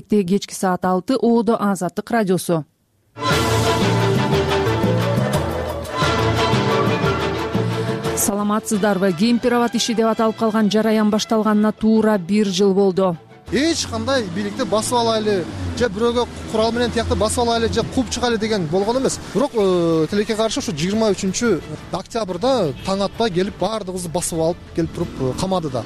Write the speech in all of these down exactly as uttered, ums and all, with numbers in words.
кечки саат алты Оодо Азаттык радиосу. Саламатсыздарбы? Кемпир-абад иши деп аталып калган жараян башталганына туура бир жыл болду. Эч кандай бийликти басып алайлы же бирөөгө курал менен тиякты басып алайлы же кууп чыгайлы деген болгон эмес. Бирок тилекке каршы ушу жыйырма үчүнчү октябрда таң атпай келип баардыгыбызды басып алып келип туруп камады да.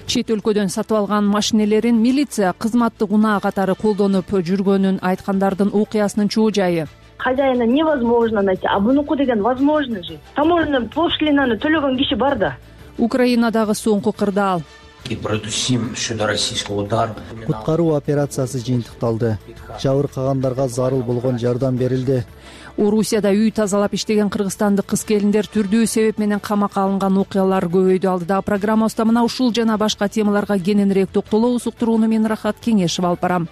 Чет өлкөдөн сатып алган машинелерин милиция кызматтык унаа катары колдонуп жүргөнүн айткандардын окуясынын чоо жайы. Хозяина невозможно найти, а бунуку деген возможно же. Таможенный пошлинаны төлөгөн киши бар да. Украинадагы соңку кырдаал. Куткаруу операциясы жыйынтыкталды. Жабыркагандарга зарыл болгон жардам берилди. Орусияда үй тазалап иштеген кыргызстандык кыз-келиндер түрдүү себеп менен камакка алынган окуялар көбөйдү. Алдыдагы программабызда мына ушул жана башка темаларга кененирээк токтолобуз. Уктурууну мен Рахат Кеңешев алып барам.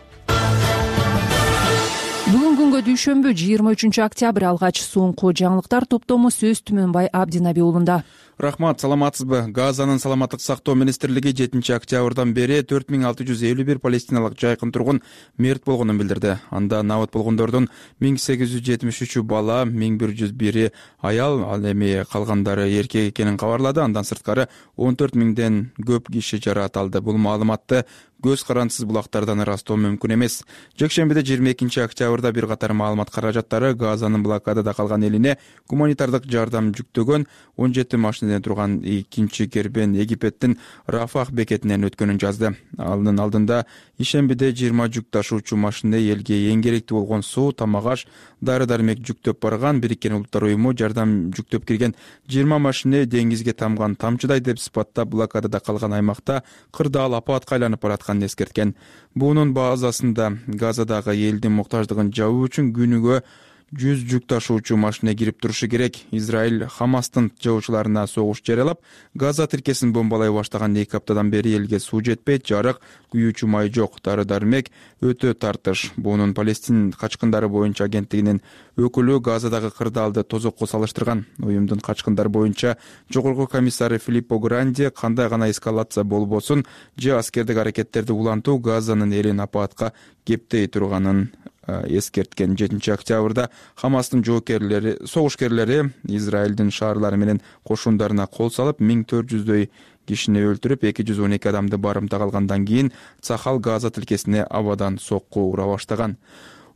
Бүгүн күнгө дүйшөмбү жыйырма үчүнчү октябрь алгач соңку жаңылыктар топтому сөз Түмөнбай Абдинабиулунда. Рахмат, саламатсызбы? Газанын саламаттык сактоо министрлиги жетинчи октябрдан бери төрт миң алты жүз элүү бир палестиналык жайкын тургун мерт болгонун билдирди. Анда набыт болгондордун миң сегиз жүз жетимиш үчү бала, миң бир жүз бири аял, ал эми калгандары эркек экенин кабарлады. Андан сырткары он төрт миңден көп киши жаракат алды. Бул маалыматты көз карандысыз булактардан ырастоо мүмкүн эмес. Жекшембиде жыйырма экинчи октябрда бир катар маалымат каражаттары Газанын блокадада калган элине гуманитардык жардам жүктөгөн он жети машинеден турган экинчи кербен Египеттин Рафах бекетинен өткөнүн жазды. Анын алдында ишембиде жыйырма жүк ташуучу машина элге эң керектүү болгон суу, тамак-аш, дары-дармек жүктөп барган. Бириккен Улуттар уюму жардам жүктөп кирген жыйырма машина деңизге тамган тамчыдай деп сыпаттап блокадада калган аймакта кырдаал апатка айланып баратканын эскерткен. Бунун базасында Газадагы элдин муктаждыгын жабуу үчүн күнүгө жүз жүк ташуучу машина кирип турушу керек. Израиль Хамастын жабуучуларына согуш жарыялап, Газа тилкесин бомбалай баштаган эки аптадан бери элге суу жетпейт, жарык, күйүүчү май жок, дары-дармек өтө тартыш. Бунун Палестин качкындары боюнча агенттигинин өкүлү Газадагы кырдаалды тозокко салыштырган. Уюмдун качкындар боюнча жогорку комиссары Филиппо Гранди кандай гана эскалация болбосун же аскердик аракеттерди улантуу Газанын элин апатка кептей турганын эскерткен. жетинчи октябрда Хамастын жоокерлери, согушкерлери Израилдин шаарлары менен кошундарына кол салып, миң төрт жүздөй кишини өлтүрүп, эки жүз он эки адамды барымтага алгандан кийин Цахал Газа тилкесине абадан сокку ура баштаган.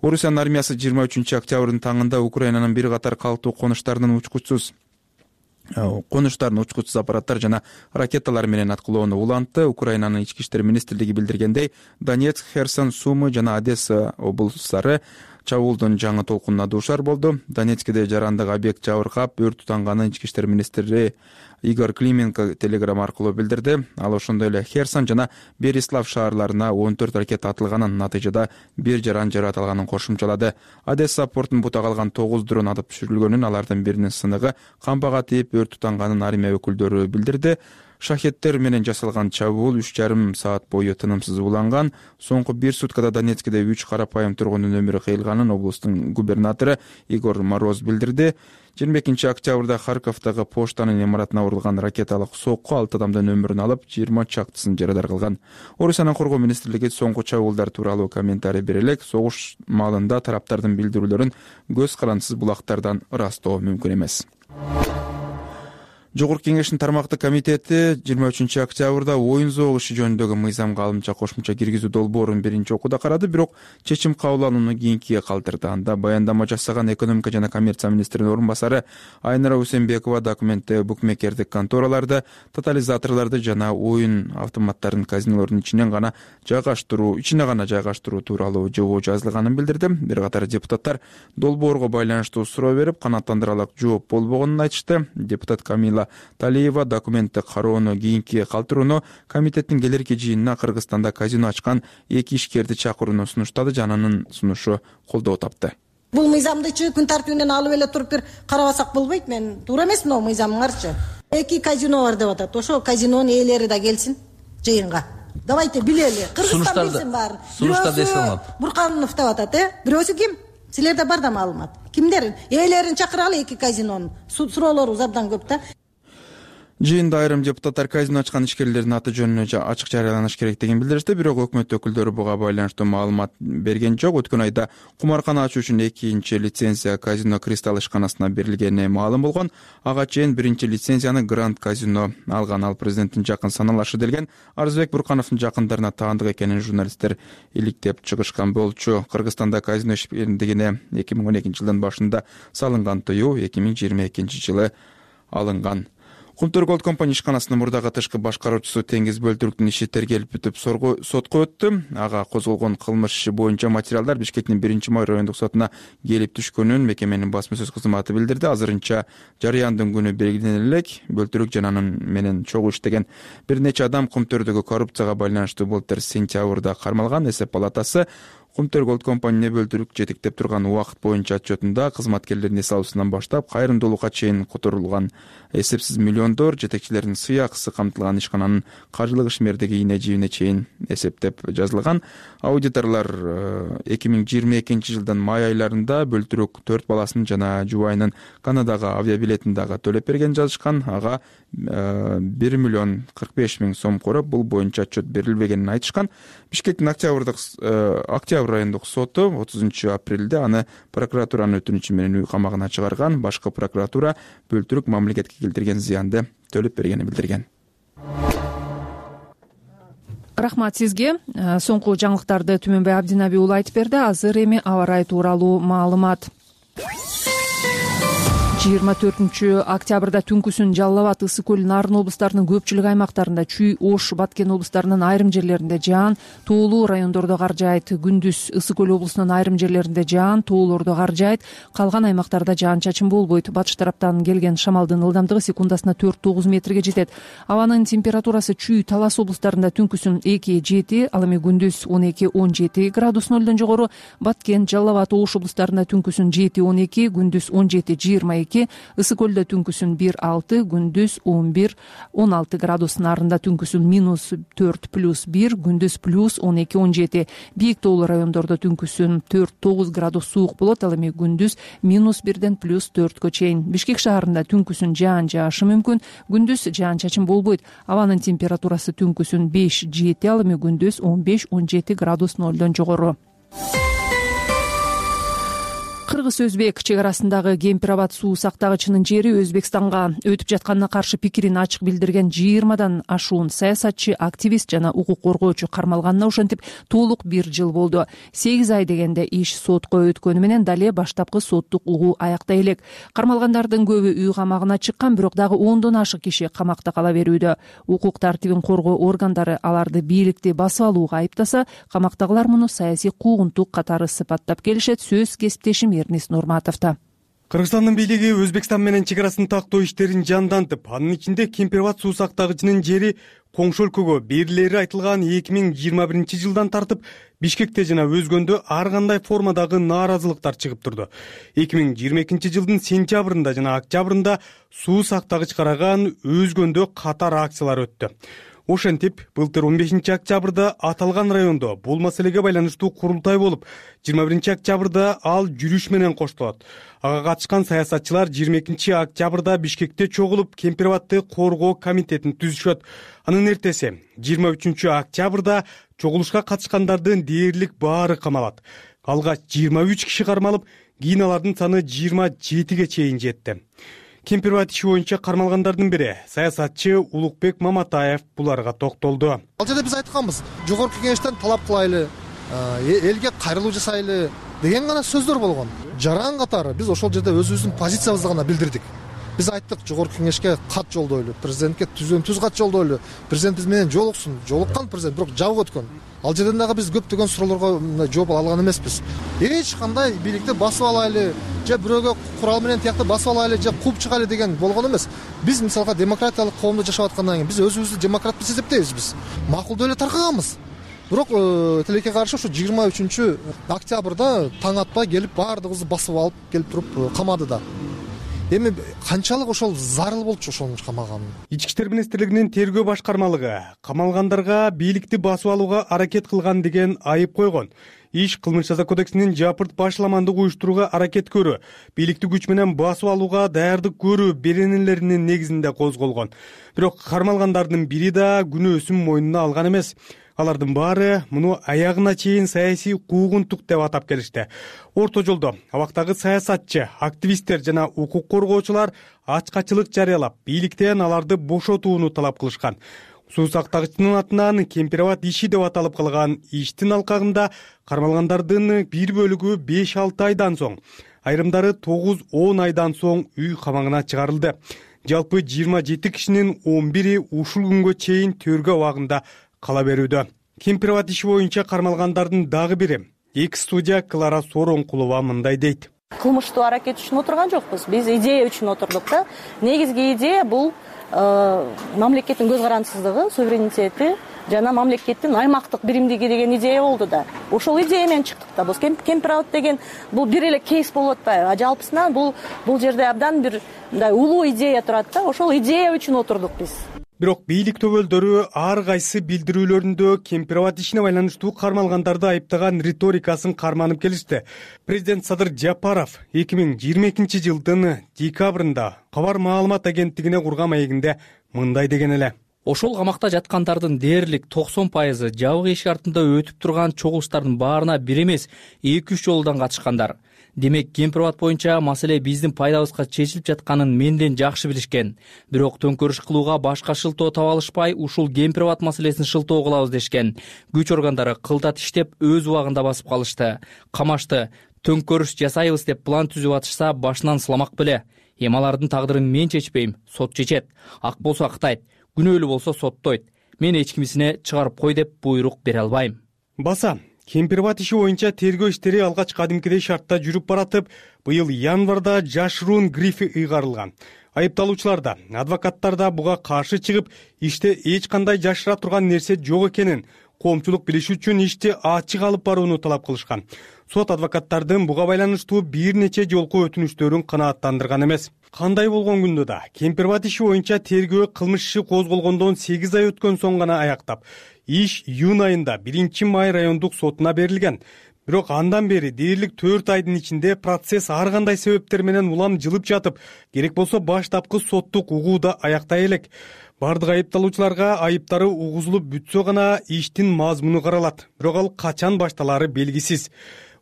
Орусиянын армиясы жыйырма үчүнчү октябрдын таңында Украинанын бир катар калктуу конуштарынын учкучсуз конуштарын учкучсуз аппараттар жана ракеталар менен аткылоону улантты. Украинанын ички иштер министрлиги билдиргендей, Донецк, Херсон, Сумы жана Одесса облустары чабуулдун жаңы толкунуна дуушар болду. Донецкиде жарандык объект жабыркап, өрт тутанганын ички иштер министри Игорь Клименко телеграмма аркылуу билдирди. Ал ошондой эле Херсон жана Берислав шаарларына он төрт ракета атылганын, натыйжада бир жаран жаракат алганын кошумчалады. Одесса портун бута калган тогуз дрон атып түшүрүлгөнүн, алардын биринин сыныгы камбага тийип өрт тутанганын армия өкүлдөрү билдирди. Шахеттер менен жасалган чабуул үч жарым саат бою тынымсыз уланган. Соңку бир суткада Донецкиде үч карапайым тургундун өмүрү кыйылганын облустун губернатору Игорь Мороз билдирди. жыйырма экинчи октябрда Харьковдагы поштанын имаратына урулган ракеталык сокку алты адамдын өмүрүн алып, жыйырма чактысын жарадар кылган. Орусиянын коргоо министрлиги соңку чабуулдар тууралуу комментарий бере элек, согуш маалында тараптардын билдирүүлөрүн көз карандысыз булактардан ырастоо мүмкүн эмес. Жогорку кеңештин тармактык комитети жыйырма үчүнчү октябрда оюн зоок иши жөнүндөгү мыйзамга алымча кошумча киргизүү долбоорун биринчи окууда карады, бирок чечим кабыл алууну кийинкиге калтырды. Анда баяндама жасаган экономика жана коммерция министринин орун басары Айнара Усенбекова документте букмекердик контораларды, тотализаторлорду жана оюн автоматтарын казинолордун ичинен гана жайгаштыруу, ичине гана жайгаштыруу тууралуу жобо жазылганын билдирди. Бир катар депутаттар долбоорго байланыштуу суроо берип, канааттандырарлык жооп болбогонун айтышты. Депутат Камила Талиева документти кароону кийинкиге калтырууну, комитеттин келерки жыйынына Кыргызстанда казино ачкан эки ишкерди чакырууну сунуштады, жананын сунушу колдоо тапты. Бул мыйзамдычы күн тартибинен алып эле туруп бир карабасак болбойт. Мен туура эмес мына мыйзамыңарчы. Эки казино бар деп атат. Ошо казинонун ээлери да келсин жыйынга. Давайте билели. Кыргызстан билсин баарын. Сунуштарды эске алып. Бурканов деп атат, э? Бирөөсү ким? Силерде бар да маалымат. Кимдер? Ээлерин чакыралы эки казинонун. Суроолорубуз абдан көп да. Жыйында айрым депутаттар казино ачкан ишкерлердин аты жөнүнө ачык жарыяланыш керек деген билдиришти, бирок өкмөт өкүлдөрү буга байланыштуу маалымат берген жок. Өткөн айда кумаркана ачуу үчүн экинчи лицензия казино Кристалл ишканасына берилгени маалым болгон. Ага чейин биринчи лицензияны Гранд казино алган. Ал президенттин жакын саналашы делген Арзыбек Буркановдун жакындарына таандык экенин журналисттер иликтеп чыгышкан болчу. Кыргызстанда казино ишендигине эки миң он экинчи жылдын башында салынган тыюу эки миң жыйырма экинчи жылы алынган. Кумтөр Голд компания ишканасынын мурдагы тышкы башкаруучусу Теңиз Бөлтүрүктүн иши тергелип бүтүп сотко өттү. Ага козголгон кылмыш иши боюнча материалдар Бишкектин биринчи май райондук сотуна келип түшкөнүн мекеменин басма сөз кызматы билдирди. Азырынча жарыяндын күнү белгилене элек. Бөлтүрүк жана анын менен чогуу иштеген бир нече адам Кумтөрдөгү коррупцияга байланыштуу былтыр сентябрда кармалган. Эсеп палатасы Кумтөр Голд компания Бөлтүрүк жетектеп турган убакыт боюнча отчетунда кызматкерлердин эс алуусунан баштап кайрымдуулукка чейин которулган эсепсиз миллиондор жетекчилердин сый акысы камтылган ишкананын каржылык ишмердиги ийне жибине чейин эсептеп жазылган. Аудиторлор эки миң жыйырма экинчи жылдын май айларында Бөлтүрүк төрт баласынын жана жубайынын Канадага авиабилетин дагы төлөп берген жазышкан. Ага бир миллион кырк беш миң сом короп, бул боюнча отчет берилбегенин айтышкан. Бишкектин октябрдык октябрь райондук соту отузунчу апрелде аны прокуратуранын өтүнүчү менен үй камагына чыгарган. Башкы прокуратура Бөлтүрүк мамлекетке келтирген зыянды төлөп бергенин билдирген. Рахмат сизге. Соңку жаңылыктарды Түмөнбай Абдинаби уулу айтып берди. Азыр эми аба ырайы тууралуу маалымат. жыйырма төртүнчү октябрда түнкүсүн Жалал Абад, Ысык көл, Нарын облустарынын көпчүлүк аймактарында, Чүй, Ош, Баткен облустарынын айрым жерлеринде жаан, тоолуу райондордо кар жаайт. Күндүз Ысык көл облусунун айрым жерлеринде жаан, тоолордо кар жаайт. Калган аймактарда жаан-чачын болбойт. Батыш тараптан келген шамалдын ылдамдыгы секундасына төрт тогуз метрге жетет. Абанын температурасы Чүй, Талас облустарында түнкүсүн эки жети, ал эми күндүз он эки он жети градус нөлдөн жогору. Баткен, Жалал Абад, Ош облустарында түнкүсүн жети он эки, күндүз он жети жыйырма эки, Ысык көлдө түнкүсүн бир алты, күндүз он бир он алты градус. Нарында түнкүсүн минус төрт плюс бир, күндүз плюс он эки он жети. Бийик тоолуу райондордо түнкүсүн төрт тогуз градус суук болот, ал эми күндүз минус бирден плюс төрткө чейин. Бишкек шаарында түнкүсүн жаан жаашы мүмкүн, күндүз жаан-чачын болбойт. Абанын температурасы түнкүсүн беш жети, ал эми күндүз он беш он жети градус нөлдөн жогору. Кыргыз-Өзбек чек арасындагы Кемпир Абад суу сактагычынын жери Өзбекстанга өтүп жатканына каршы пикирин ачык билдирген жыйырмадан ашуун саясатчы, активист жана укук коргоочу кармалганына ошентип толук бир жыл болду. сегиз ай дегенде иш сотко өткөнү менен дале баштапкы соттук угуу аяктай элек. Кармалгандардын көбү үй камагына чыккан, бирок дагы ондон ашык киши камакта кала берүүдө. Укук тартибин коргоо органдары аларды бийликти басып алууга айыптаса, камактагылар муну саясий куугунтук катары сыпаттап келишет. Сөз кесиптешим Эрнис Нурматовдо. Кыргызстандын бийлиги Өзбекстан менен чек арасын тактоо иштерин жандантып, анын ичинде Кемпир Абад суу сактагычынын жери коңшу өлкөгө берилери айтылган эки миң жыйырма биринчи жылдан тартып Бишкекте жана өзгөндө ар кандай формадагы нааразылыктар чыгып турду. эки миң жыйырма экинчи жылдын сентябрында жана октябрында суу сактагыч караган өзгөндө катар акциялар өттү. Ошентип, былтыр он бешинчи октябрда аталган райондо бул маселеге байланыштуу курултай болуп, жыйырма биринчи октябрда ал жүрүш менен коштолот. Ага катышкан саясатчылар жыйырма экинчи октябрда Бишкекте чогулуп, Кемпир Абадты коргоо комитетин түзүшөт. Анын эртеси жыйырма үчүнчү октябрда чогулушка катышкандардын дээрлик баары камалат. Алгач жыйырма үч киши кармалып, кийин алардын саны жыйырма жетиге чейин жетти. Кемпир Абад иши боюнча кармалгандардын бири саясатчы Улукбек Маматаев буларга токтолду. Ал жерде биз айтканбыз, жогорку кеңештен талап кылайлы, элге кайрылуу жасайлы деген гана сөздөр болгон. Жаран катары биз ошол жерде өзүбүздүн позициябызды гана билдирдик. Биз айттык, жогорку кеңешке кат жолдойлу, президентке түзөн түз кат жолдойлу, президент биз менен жолуксун. Жолуккан президент, бирок жабык өткөн. Ал жерден дагы биз көптөгөн суроолорго жооп алган эмеспиз. Эч кандай бийликти басып алайлы, же бирөөгө курал менен тиякты басып алайлы, же кууп чыгайлы деген болгон эмес. Биз мисалга демократиялык коомдо жашап аткандан кийин биз өзүбүздү демократ деп эсептейбиз биз. Макулдуу эле таркаганбыз. Бирок тилекке каршы ушу жыйырма үчүнчү октябрда таң атпай келип баардыгыбызды басып алып келип туруп камады да. Эми канчалык ошол зарыл болчу ошонун камаган. Ички иштер министрлигинин тергөө башкармалыгы камалгандарга бийликти басып алууга аракет кылган деген айып койгон. иш кылмыш жаза кодексинин жапырт башламандык уюштурууга аракет көрүү, бийликти күч менен басып алууга даярдык көрүү беренелеринин негизинде козголгон. Бирок кармалгандардын бири да күнөөсүн мойнуна алган эмес. Алардын баары муну аягына чейин саясий куугунтук деп атап келишти. Орто жолдо абактагы саясатчы, активисттер жана укук коргоочулар ачкачылык жарыялап, бийликтен аларды бошотууну талап кылышкан. Суу сактагычтын атынан Кемпирабад иши деп аталып калган иштин алкагында кармалгандардын бир бөлүгү беш алты айдан соң, айрымдары тогуз он айдан соң үй камагына чыгарылды. Жалпы жыйырма жети кишинин он бири ушул күнгө чейин төргө абагында кала берүүдө. Кемпирабад иши боюнча кармалгандардын дагы бири экс-судья Клара Соронкулова мындай дейт. Кылмыштуу аракет үчүн отурган жокпуз. Биз идея үчүн отурдук да. Негизги идея бул мамлекеттин көз карандысыздыгы, суверенитети жана мамлекеттин аймактык биримдиги деген идея болду да. Ошол идея менен чыктык да. Бул Кемпирабад деген бул бир эле кейс болуп атпайбы? А жалпысынан бул бул жерде абдан бир мындай улуу идея турат да. Ошол идея үчүн отурдук биз. Бирок бийлик төбөлдөрү ар кайсы билдирүүлөрүндө Кемпирабад ишине байланыштуу кармалгандарды айыптаган риторикасын карманып келишти. Президент Садыр Жапаров эки миң жыйырма экинчи жылдын декабрында кабар маалымат агенттигине курган маегинде мындай деген эле. Ошол камакта жаткандардын дээрлик токсон пайызы жабык эшик артында өтүп турган чогулуштардын баарына бир эмес эки үч жолдон катышкандар. Демек, Кемпирабад боюнча маселе биздин пайдабызга чечилип жатканын менден жакшы билишкен. Бирок төңкөрүш кылууга башка шылтоо таба алышпай, ушул Кемпирабад маселесин шылтоо кылабыз дешкен. Күч органдары кылдат иштеп, өз убагында басып калышты. Камашты. Төңкөрүш жасайбыз деп план түзүп атышса, башынан сыламак беле. Эми алардын тагдырын мен чечпейм, сот чечет. Ак болсо актайт, күнөөлүү болсо соттойт. Мен эч кимисине чыгарып кой деп буйрук бере албайм. Баса Кемпирабад иши боюнча тергөө иштери алгач кадимкидей шартта жүрүп баратып, быйыл январда жашыруун грифи ыйгарылган. Айыпталуучулар да, адвокаттар да буга каршы чыгып, иште эч кандай жашыра турган нерсе жок экенин, коомчулук билиши үчүн ишти ачык алып барууну талап кылышкан. Сот адвокаттардын буга байланыштуу бир нече жолку өтүнүштөрүн канааттандырган эмес. Кандай болгон күндө да Кемпирабад иши боюнча тергөө кылмыш иши козголгондон сегиз ай өткөн соң гана аяктап, иш июнь айында биринчи май райондук сотуна берилген. Бирок андан бери дээрлик төрт айдын ичинде процесс ар кандай себептер менен улам жылып жатып, керек болсо баштапкы соттук угууда аяктай элек. Бардык айыпталуучуларга айыптары угузулуп бүтсө гана иштин мазмуну каралат. Бирок ал качан башталары белгисиз.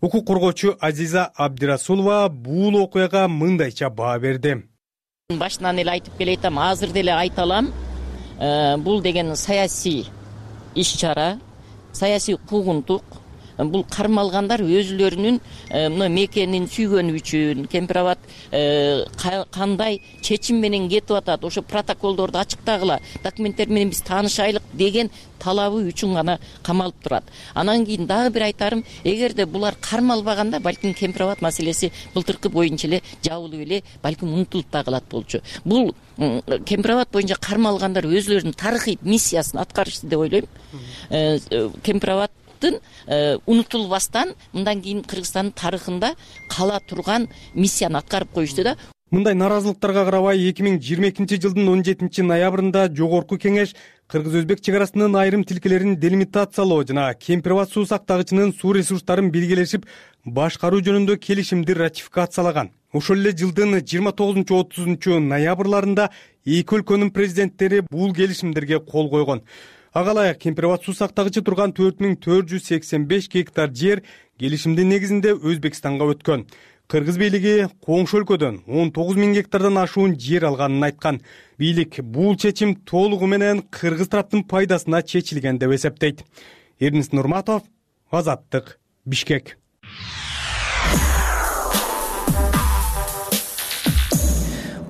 Укук коргоочу Азиза Абдирасулова бул окуяга мындайча баа берди. Башынан эле айтып келейтам, азыр деле айта алам. Бул деген саясий иш-чара, саясий куугунтук. Бул кармалгандар өзүлөрүнүн мына мекенин сүйгөнү үчүн Кемпирабад кандай чечим менен кетип атат, ошо протоколдорду ачыктагыла, документтер менен биз таанышайлык деген талабы үчүн гана камалып турат. Анан кийин дагы бир айтарым, эгерде булар кармалбаганда, балким Кемпирабад маселеси былтыркы боюнча эле жабылып эле, балким унутулуп да калат болчу. Бул Кемпирабад боюнча кармалгандар өзүлөрүнүн тарыхый миссиясын аткарышты деп ойлойм. Кемпирабад унутулбастан мындан кийин Кыргызстандын тарыхында кала турган миссияны аткарып коюшту да. Мындай наразылыктарга карабай эки миң жыйырма экинчи жылдын он жетинчи ноябрында Жогорку кеңеш Кыргыз-Өзбек чек арасынын айрым тилкелерин делимитациялоо жана Кемпирабад суу сактагычынын суу ресурстарын биргелешип башкаруу жөнүндө келишимди ратификациялаган. Ошол эле жылдын жыйырма тогузунчу отузунчу ноябрларында эки өлкөнүн президенттери бул келишимдерге кол койгон. Ага ылайык Кемпирабад суу сактагычы турган төрт миң төрт жүз сексен беш гектар жер келишимдин негизинде Өзбекстанга өткөн. Кыргыз бийлиги коңшу өлкөдөн он тогуз миң гектардан ашуун жер алганын айткан. Бийлик бул чечим толугу менен кыргыз тараптын пайдасына чечилген деп эсептейт. Эрнис Нурматов, Азаттык, Бишкек.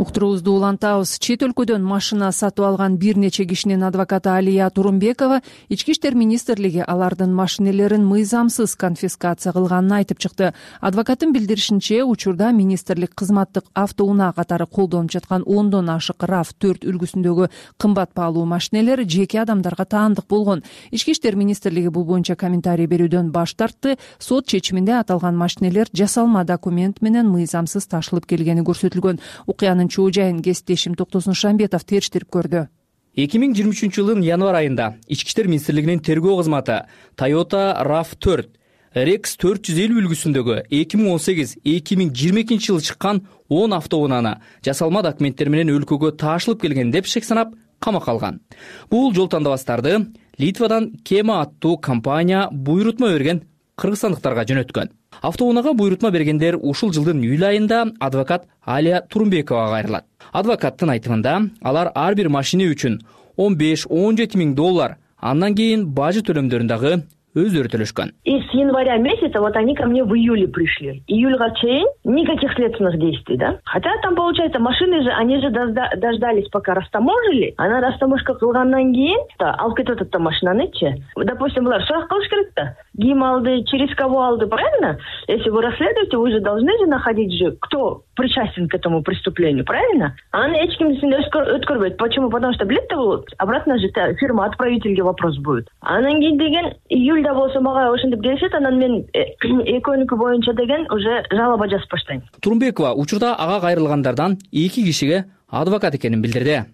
Уктуруубузду улантабыз. Чет өлкөдөн машина сатып алган бир нече кишинин адвокаты Алия Турумбекова Ички иштер министрлиги алардын машинелерин мыйзамсыз конфискация кылганын айтып чыкты. Адвокаттын билдиришинче, учурда министрлик кызматтык автоунаа катары колдонуп жаткан ондон ашык РАВ төрт үлгүсүндөгү кымбат баалуу машинелер жеке адамдарга таандык болгон. Ички иштер министрлиги бул боюнча комментарий берүүдөн баш тартты. Сот чечиминде аталган машинелер жасалма документ менен мыйзамсыз ташылып келгени көрсөтүлгөн. Окуянын чоо жайын кесиптешим Токтосун Шамбетов териштирип көрдү. эки миң жыйырма үчүнчү жылдын январ айында Ички иштер министрлигинин тергөө кызматы Toyota РАВ төрт рекс төрт жүз элүү үлгүсүндөгү эки миң он сегиз эки миң жыйырма экинчи жылы чыккан он автоунааны жасалма документтер менен өлкөгө таашылып келген деп шек санап камакка алган. Бул жол тандабастарды Литвадан Кема аттуу компания буйрутма берген кыргызстандыктарга жөнөткөн. Автоунаага буйрутма бергендер ушул жылдын июль айында адвокат Алия Турумбековага кайрылат. Адвокаттын айтымында алар ар бир машина үчүн он беш он жети миң доллар, андан кийин бажы төлөмдөрүн дагы өздөрү төлөшкөн. И с января месяца вот они ко мне в июле пришли. Июльга чейин никаких следственных действий, да? Хотя там, получается, машины же, они же дождались, пока растаможили. Она растаможка кылгандан кийин алып кетип атат машинанычы. Допустим, булар сурак кылыш керек да. Ким алды, через кого алды, правильно? Если вы расследуете, вы же должны же находить же, кто причастен к этому преступлению, правильно? А она эч кимдин өткөрбөйт. Почему? Потому что билет болот. Обратно же фирма отправительге вопрос будет. Анан кийин деген июль да болсо мага ошентип келишет, анан мен экөөнүкү боюнча деген уже жалоба жазып баштайм. Турумбекова учурда ага кайрылгандардан эки кишиге адвокат экенин билдирди.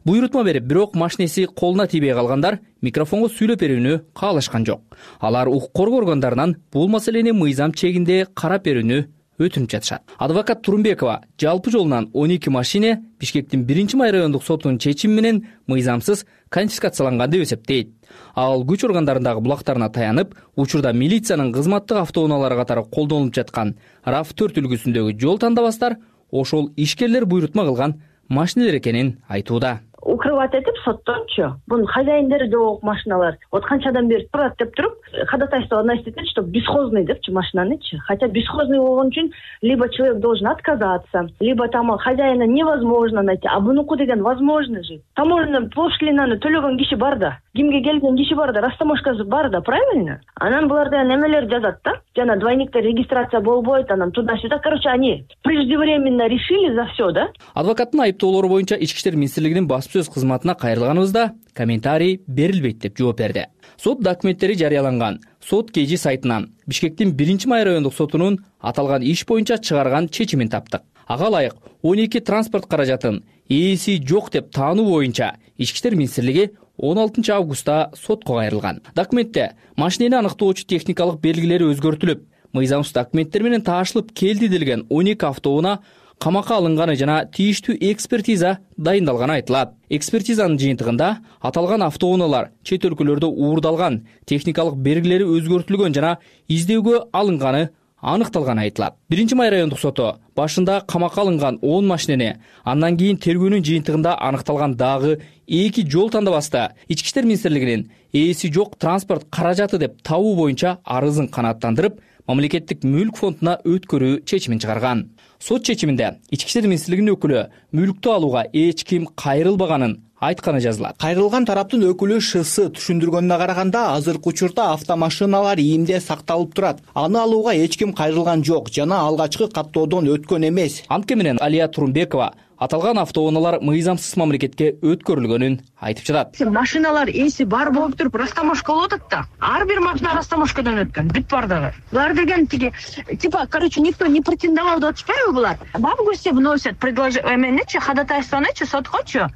Буйрутма берип, бирок машинеси колуна тийбей калгандар микрофонго сүйлөп берүүнү каалашкан жок. Алар укук коргоо органдарынан бул маселени мыйзам чегинде карап берүүнү өтүнүп жатышат. Адвокат Турумбекова жалпы жолунан он эки машине Бишкектин биринчи май райондук сотунун чечими менен мыйзамсыз конфискацияланган деп эсептейт. Ал күч органдарындагы булактарына таянып, учурда милициянын кызматтык автоунаалары катары колдонулуп жаткан раф төрт үлгүсүндөгү жол тандабастар ошол ишкерлер буйрутма кылган машинелер экенин айтууда. Укрывать этип соттончу. Бунун хозяиндери жок машиналар. Вот канчадан бери турат деп туруп, ходатайство вносить этет, что бесхозный депчи машинанычы. Хотя бесхозный болгон үчүн либо человек должен отказаться, либо там хозяина невозможно найти. А бунуку деген возможно же. Таможня пошлинаны төлөгөн киши бар да. Кимге келген киши бар да, растаможкасы бар да, правильно? Анан буларда немелер жазат да. Жана двойниктер регистрация болбойт, анан туда-сюда. Короче, они преждевременно решили за все, да? Адвокаттын айыптоолору боюнча Ички иштер министрлигинин баспсөз кызматына кайрылганыбызда комментарий берилбейт деп жооп берди. Сот документтери жарыяланган сот kg сайтынан Бишкектин биринчи май райондук сотунун аталган иш боюнча чыгарган чечимин таптык. Ага ылайык он эки транспорт каражатын ээси жок деп таануу боюнча Ички иштер министрлиги он алтынчы августта сотко кайрылган. Документте машинени аныктоочу техникалык белгилери өзгөртүлүп, мыйзамсыз документтер менен таашылып келди делген он эки автоунаа камакка алынганы жана тийиштүү экспертиза дайындалганы айтылат. Экспертизанын жыйынтыгында аталган автоунаалар чет өлкөлөрдө уурдалган, техникалык белгилери өзгөртүлгөн жана издөөгө алынганы аныкталганы айтылат. биринчи май райондук соту башында камакка алынган он машинени, андан кийин тергөөнүн жыйынтыгында аныкталган дагы эки жол тандабаста Ички иштер министрлигинин ээси жок транспорт каражаты деп табуу боюнча арызын канааттандырып, мамлекеттик мүлк фондуна өткөрүү чечимин чыгарган. Сот чечиминде Ички иштер министрлигинин өкүлү мүлктү алууга эч ким кайрылбаганын айтканы жазылат. Кайрылган тараптын өкүлү ШС түшүндүргөнүнө караганда азыркы учурда автомашиналар ийимде сакталып турат. Аны алууга эч ким кайрылган жок жана алгачкы каттоодон өткөн эмес. Анткени менен Алия Турумбекова аталган автоунаалар мыйзамсыз мамлекетке өткөрүлгөнүн айтып жатат. Машиналар эси бар болуп туруп растаможка болуп атат да. Ар бир машина растаможкадан өткөн, бүт бардыгы. Булар деген тиги типа, короче, никто не претендовал деп атышпайбы булар? В августе вносят предложение, эменечи ходатайствонычы соткочу.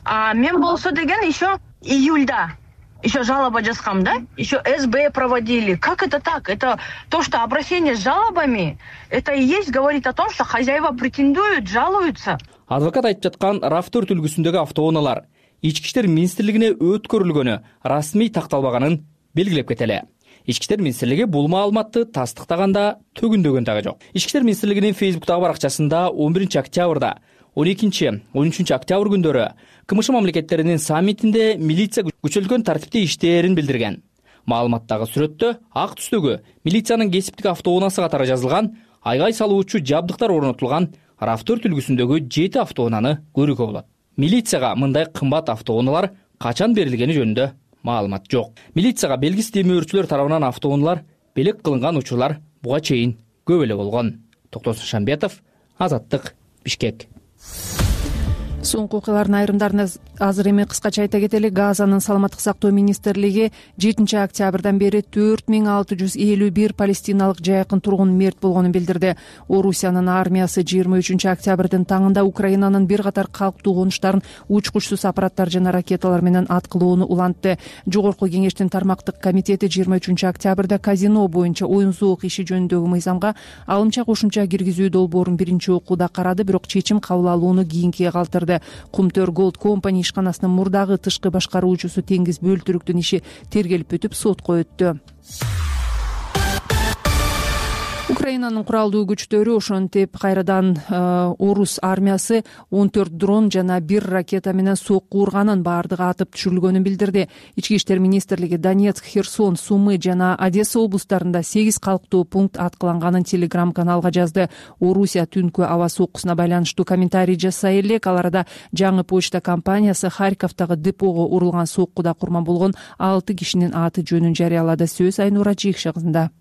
А мен болсо деген еще июльда еще жалоба жазгам, да? Еще СБ проводили. Как это так? Это то, что обращение с жалобами, это и есть говорит о том, что хозяева претендуют, жалуются. Адвокат айтып жаткан раф төрт үлгүсүндөгү автоунаалар Ички иштер министрлигине өткөрүлгөнү расмий такталбаганын белгилеп кетели. Ички иштер министрлиги бул маалыматты тастыктаганда төгүндөгөн дагы жок. Ички иштер министрлигинин Фейсбуктагы баракчасында он биринчи октябрда он экинчи он үчүнчү октябрь күндөрү КМШ мамлекеттеринин саммитинде милиция күчөлтүлгөн тартипте иштээрин билдирген. Маалыматтагы сүрөттө ак түстөгү милициянын кесиптик автоунаасы катары жазылган, айгай салуучу жабдыктар орнотулган раф төрт үлгүсүндөгү жети автоунааны көрүүгө болот. Милицияга мындай кымбат автоунаалар качан берилгени жөнүндө маалымат жок. Милицияга белгисиз демөөрчүлөр тарабынан автоунаалар белек кылынган учурлар буга чейин көп эле болгон. Токтосун Шамбетов, Азаттык, Бишкек. Соңку окуялардын айрымдарын азыр эми кыскача айта кетели. Газанын саламаттык сактоо министрлиги жетинчи октябрдан бери төрт миң алты жүз элүү бир палестиналык жайкын тургун мерт болгонун билдирди. Орусиянын армиясы жыйырма үчүнчү октябрдын таңында Украинанын бир катар калктуу конуштарын учкучсуз аппараттар жана ракеталар менен аткылоону улантты. Жогорку кеңештин тармактык комитети жыйырма үчүнчү октябрда казино боюнча оюн зоок иши жөнүндөгү мыйзамга алымча кошумча киргизүү долбоорун биринчи окууда карады, бирок чечим кабыл алууну кийинкиге калтырды. Кумтөр Голд компани ишканасынын мурдагы тышкы башкаруучусу Теңиз Бөлтүрүктүн иши тергелип бүтүп сотко өттү. Украинанын куралдуу күчтөрү ошентип кайрадан орус армиясы он төрт дрон жана бир ракета менен сокку урганын, баардыгы атып түшүрүлгөнүн билдирди. Ички иштер министрлиги Донецк, Херсон, Сумы жана Одесса облустарында сегиз калктуу пункт аткыланганын телеграм-каналга жазды. Орусия түнкү аба соккусуна байланыштуу комментарий жасай элек. Ал арада жаңы почта компаниясы Харьковдагы депого урулган соккуда курман болгон алты кишинин аты жөнүн жарыялады. Сөз Айнура Жийкши кызында.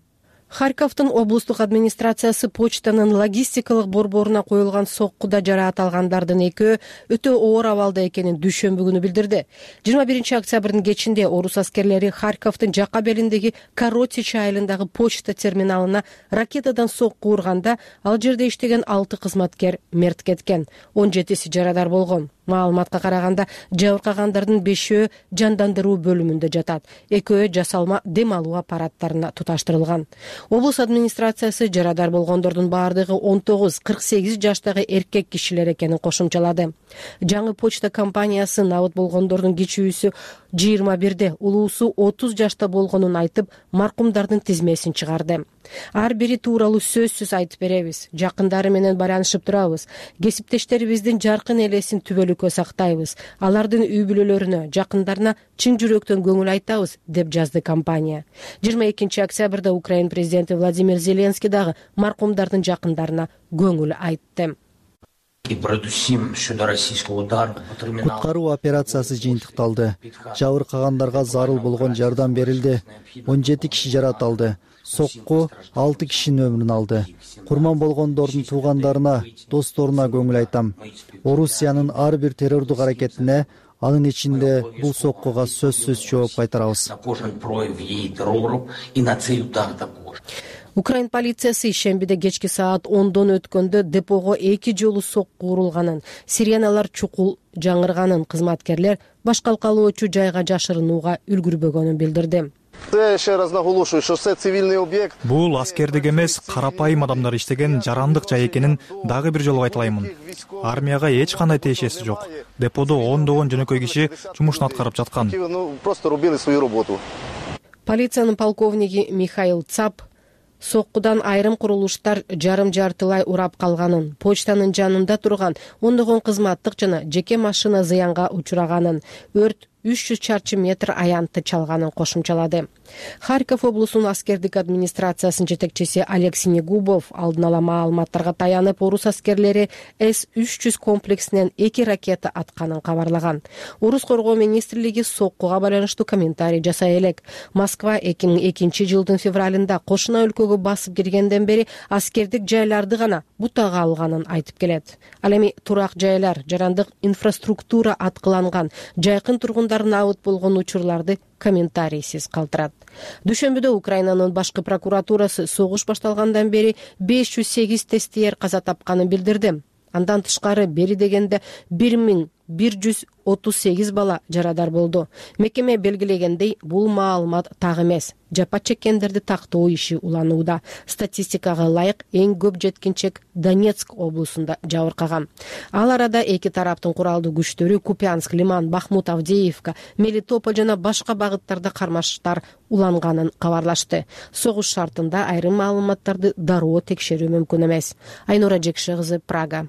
Харьковдун облустук администрациясы почтанын логистикалык борборуна коюлган соккуда жараат алгандардын экөө өтө оор абалда экенин дүйшөмбү күнү билдирди. жыйырма биринчи октябрдын кечинде орус аскерлери Харьковдун жакка белиндеги Коротич айылындагы почта терминалына ракетадан сокку урганда, ал жерде иштеген алты кызматкер мерт кеткен, он жетиси жарадар болгон. Маалыматка караганда, жабыркагандардын бешөө жандандыруу бөлүмүндө жатат, экөө жасалма дем алуу аппараттарына туташтырылган. Облус администрациясы жарадар болгондордун баардыгы он тогуз кырк сегиз жаштагы эркек кишилер экенин кошумчалады. Жаңы почта компаниясы набыт болгондордун кичүүсү жыйырма бирде, улуусу отуз жашта болгонун айтып, маркумдардын тизмесин чыгарды. Ар бири тууралуу сөзсүз айтып беребиз. Жакындары менен байланышып турабыз. Кесиптештерибиздин жаркын элесин түбөлүккө сактайбыз. Алардын үй бүлөлөрүнө, жакындарына чын жүрөктөн көңүл айтабыз, деп жазды компания. жыйырма экинчи октябрда Украин президенти Владимир Зеленский дагы маркумдардын жакындарына көңүл айтты. Куткаруу операциясы жыйынтыкталды. Жабыркагандарга зарыл болгон жардам берилди. он жети киши жаратылды. Сокку алты кишинин өмүрүн алды. Курман болгондордун туугандарына, досторуна көңүл айтам. Орусиянын ар бир террордук аракетине, анын ичинде бул соккуга сөзсүз жооп кайтарабыз. Украин полициясы шембиде кечки саат ондон өткөндө депого эки жолу сокку урулганын, сиреналар чукул жаңырганын, кызматкерлер башкалкалоочу жайга жашырынууга үлгүрбөгөнүн билдирди. Бул аскердик эмес, карапайым адамдар иштеген жарандык жай экенин дагы бир жолу айталаймын. Армияга эч кандай тиешеси жок. Деподо ондогон жөнөкөй киши жумушун аткарып жаткан. Полициянын полковниги Михаил Цап соккудан айрым курулуштар жарым жартылай урап калганын, почтанын жанында турган ондогон кызматтык жана жеке машина зыянга учураганын, өрт үч жүз чарчы метр аянтты чалганын кошумчалады. Харьков облусунун аскердик администрациясынын жетекчиси Олег Синегубов алдын ала маалыматтарга таянып, орус аскерлери эс үч жүз комплексинен эки ракета атканын кабарлаган. Орус коргоо министрлиги соккуга байланыштуу комментарий жасай элек. Москва эки миң экинчи жылдын февралында кошуна өлкөгө басып киргенден бери аскердик жайларды гана бутага алганын айтып келет. Ал эми турак жайлар, жарандык инфраструктура аткыланган, жайкын тургун набыт болгон учурларды комментарийсиз калтырат. Дүйшөмбүдө Украинанын башкы прокуратурасы согуш башталгандан бери беш жүз сегиз тестиер каза тапканын билдирди. Андан тышкары бери дегенде бир миң бир жүз отуз сегиз бала жарадар болду. Мекеме белгилегендей, бул маалымат так эмес. Жапа чеккендерди тактоо иши уланууда. Статистикага ылайык эң көп жеткинчек Донецк облусунда жабыркаган. Ал арада эки тараптын куралдуу күчтөрү Купянск, Лиман, Бахмут, Авдеевка, Мелитополь жана башка багыттарда кармаштар уланганын кабарлашты. Согуш шартында айрым маалыматтарды дароо текшерүү мүмкүн эмес. Айнура Жекши кызы, Прага.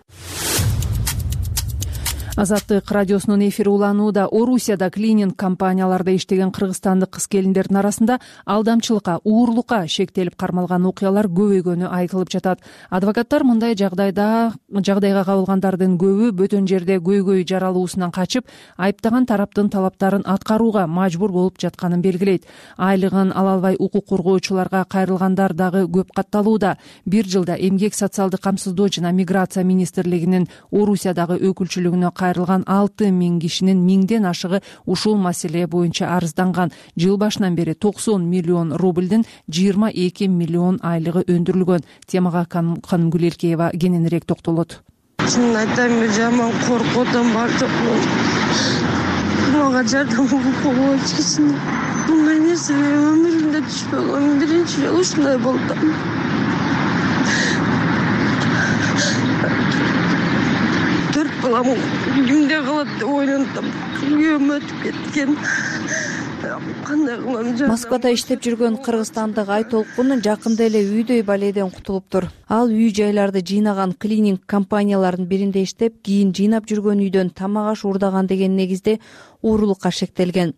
Азаттык радиосунун эфири уланууда. Орусияда клининг компанияларда иштеген кыргызстандык кыз-келиндердин арасында алдамчылыкка, уурлукка шектелип кармалган окуялар көбөйгөнү айтылып жатат. Адвокаттар мындай жагдайда жагдайга кабылгандардын көбү бөтөн жерде көйгөй жаралуусунан качып, айыптаган тараптын талаптарын аткарууга мажбур болуп жатканын белгилейт. Айлыгын ала албай укук коргоочуларга кайрылгандар дагы көп катталууда. Бир жылда эмгек социалдык камсыздоо жана миграция министрлигинин Орусиядагы өкүлчүлүгүнө кайрылган алты миң кишинин миңден ашыгы ушул маселе боюнча арызданган. Жыл башынан бери токсон миллион рубльдин жыйырма эки миллион айлыгы өндүрүлгөн. Темага Канымгүл Элкеева кененирээк токтолот. Чынын айтайын, мен жаман коркуп бар жокмун. Мага жардам болбой эч кичине. Мындай нерсе өмүрүмдө түшпөгөн. Биринчи жолу ушундай болду. Төрт балам кимде калат деп ойлонтум. Күйөөм өтүп кеткен. Москвада иштеп жүргөн кыргызстандык Айтолкун жакында эле үйдөй баледен кутулуптур. Ал үй жайларды жыйнаган клининг компаниялардын биринде иштеп, кийин жыйнап жүргөн үйдөн тамак аш уурдаган деген негизде уурулукка шектелген.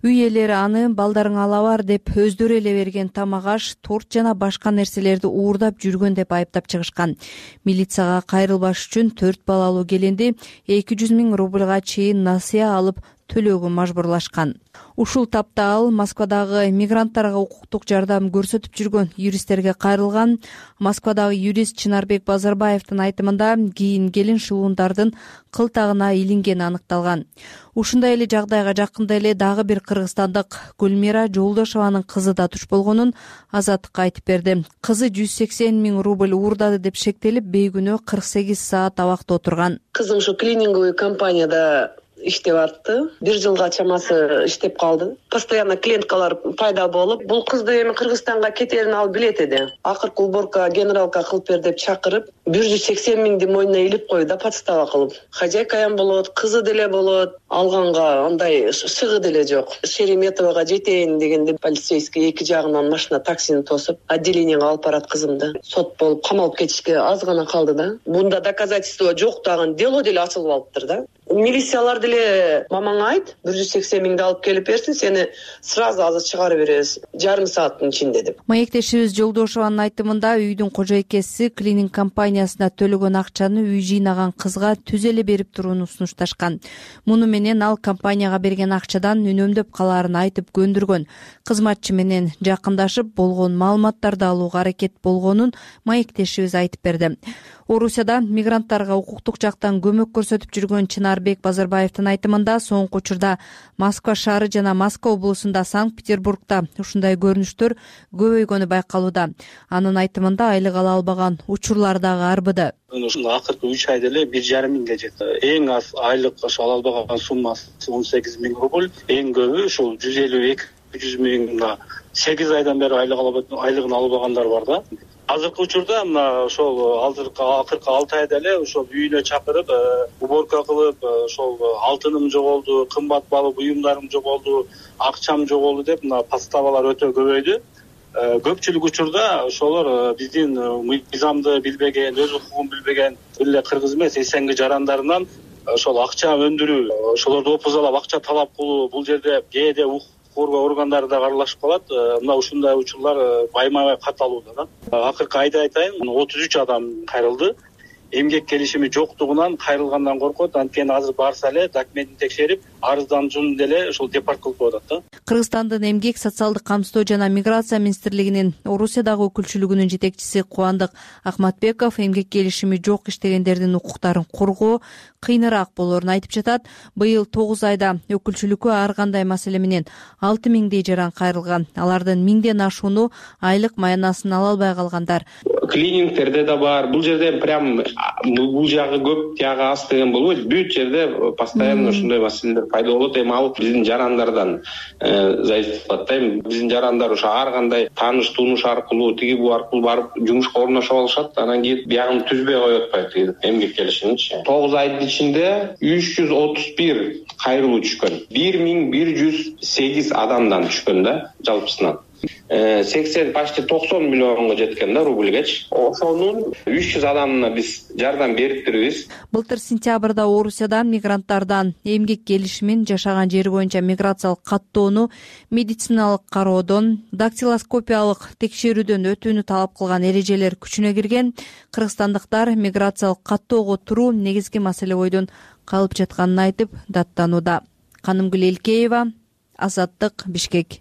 Үй ээлери аны балдарың ала бар деп өздөрү эле берген тамак аш, торт жана башка нерселерди уурдап жүргөн деп айыптап чыгышкан. Милицияга кайрылбаш үчүн төрт балалуу келинди эки жүз миң рубльга чейин насыя алып төлөөгө мажбурлашкан. Ушул тапта ал Москвадагы мигранттарга укуктук жардам көрсөтүп жүргөн юристтерге кайрылган. Москвадагы юрист Чынарбек Базарбаевдин айтымында кийин келин шылуундардын кылтагына илингени аныкталган. Ушундай эле жагдайга жакында эле дагы бир кыргызстандык Гүлмира Жолдошованын кызы да туш болгонун Азаттыкка айтып берди. Кызы жүз сексен миң рубль уурдады деп шектелип, бейгүнөө кырк сегиз саат абакта отурган. Кызым ушу клининговый компанияда иштеп атты. Бир жылга чамасы иштеп калды. Постоянно клиенткалар пайда болуп, бул кызды эми Кыргызстанга кетерин ал билет эди. Акыркы уборка генералка кылып бер деп чакырып, бир жүз сексен миңди мойнуна илип койду да, подстава кылып. Хозяйкаям болот, кызы деле болот. Алганга андай сыгы деле жок. Шереметовага жетейин дегенде полицейский эки жагынан машина таксини тосуп, отделениеге алып барат кызымды. Сот болуп, камалып кетишке аз гана калды да. Бунда доказательство жок дагы, дело деле ачылып алыптыр да. Милициялар деле мамаңа айт, бир жүз сексен миңди алып келип берсин, сени сразу азыр чыгарып беребиз, жарым сааттын ичинде деп. Маектешибиз Жолдошованын айтымында үйдүн кожойкеси клининг компаниясына төлөгөн акчаны үй жыйнаган кызга түз эле берип турууну сунушташкан. Муну менен ал компанияга берген акчадан үнөмдөп калаарын айтып көндүргөн. Кызматчы менен жакындашып болгон маалыматтарды алууга аракет болгонун маектешибиз айтып берди. Орусияда мигранттарга укуктук жактан көмөк көрсөтүп жүргөн Чынарбек Базарбаевдин айтымында соңку учурда Москва шаары жана Москва облусунда, Санкт-Петербургда ушундай көрүнүштөр көбөйгөнү байкалууда. Анын айтымында айлык ала албаган учурлар дагы арбыды. Ушул акыркы үч айда эле бир жарым миңге жетти. Эң аз айлык ала албаган суммасы он сегиз миң рубль, эң көбү ушул жүз элүү эки жүз миңга сегиз айдан бери айлык айлыгын албагандар бар да. Азыркы учурда мына ошол акыркы алты айда эле ошол үйүнө чакырып, уборка кылып, ошол алтыным жоголду, кымбат баалуу буюмдарым жоголду, акчам жоголду деп мына подставалар өтө көбөйдү. Көпчүлүк учурда ошолор биздин мыйзамды билбеген, өз укугун билбеген эле кыргыз эмес эсенги жарандарынан ошол акча өндүрүү, ошолорду опузалап акча талап кылуу, бул жерде кээде коргоо органдары да аралашып калат. Мына ушундай учурлар байма-бай катталууда да. Акыркы айда айтайын, отуз үч адам кайрылды. Эмгек келишими жоктугунан кайрылгандан коркот. Анткени азыр барса эле документин текшерип, арыздануучуну деле ошол депорт кылып коюшат да. Кыргызстандын эмгек, социалдык камсыздоо жана миграция министрлигинин Орусиядагы өкүлчүлүгүнүн жетекчиси Кубандык Ахматбеков эмгек келишими жок иштегендердин укуктарын коргоо кыйыныраак болоорун айтып жатат. Быйыл тогуз айда өкүлчүлүккө ар кандай маселе менен алты миңдей жаран кайрылган. Алардын миңден ашууну айлык маянасын ала албай калгандар. Клинингтерде да бар. Бул жерде прям бул жагы көп, тиягы аз деген болбойт. Бүт жерде постоянно ушундай маселелер пайда болот. Эми ал биздин жарандардан зависит кылат да. Биздин жарандар ошо ар кандай тааныш тунуш аркылуу, тиги бу аркылуу барып жумушка орношуп алышат. Анан кийин биягын түзбөй коюп атпайбы эмгек келишимичи. тогуз айдын ичинде үч жүз отуз бир кайрылуу түшкөн. бир миң бир жүз сегиз адамдан түшкөн да жалпысынан. сексен почти токсон миллионго жеткен да рубльгечи. Ошонун үч жүз адамына биз жардам бериптирбиз. Былтыр сентябрда Орусияда мигранттардан эмгек келишимин, жашаган жери боюнча миграциялык каттоону, медициналык кароодон, дактилоскопиялык текшерүүдөн өтүүнү талап кылган эрежелер күчүнө кирген. Кыргызстандыктар миграциялык каттоого туруу негизги маселе бойдон калып жатканын айтып даттанууда. Канымгүл Элкеева, Азаттык, Бишкек.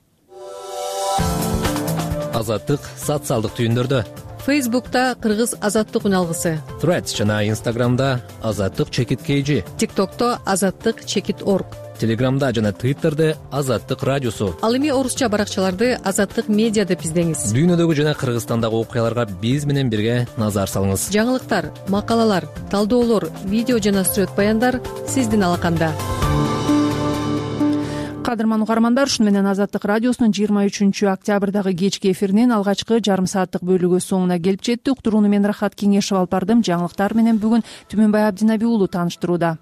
Азаттык социалдык түйүндөрдө Фейсбукта кыргыз азаттык үн алгысы, Threads жана Instagramда азаттык чекит kg, TikTokто азаттык чекит орг, Телеграмда жана Twitterде азаттык радиосу. Ал эми орусча баракчаларды азаттык медиа деп издеңиз. Дүйнөдөгү жана Кыргызстандагы окуяларга биз менен бирге назар салыңыз. Жаңылыктар, макалалар, талдоолор, видео жана сүрөт баяндар сиздин алаканда. Кадырман угармандар, ушуну менен Азаттык радиосунун жыйырма үчүнчү октябрдагы кечки эфиринин алгачкы жарым сааттык бөлүгү соңуна келип жетти. Уктурууну мен Рахат Кеңешев алып бардым. Жаңылыктар менен бүгүн Түмөнбай Абдинабий уулу тааныштырууда.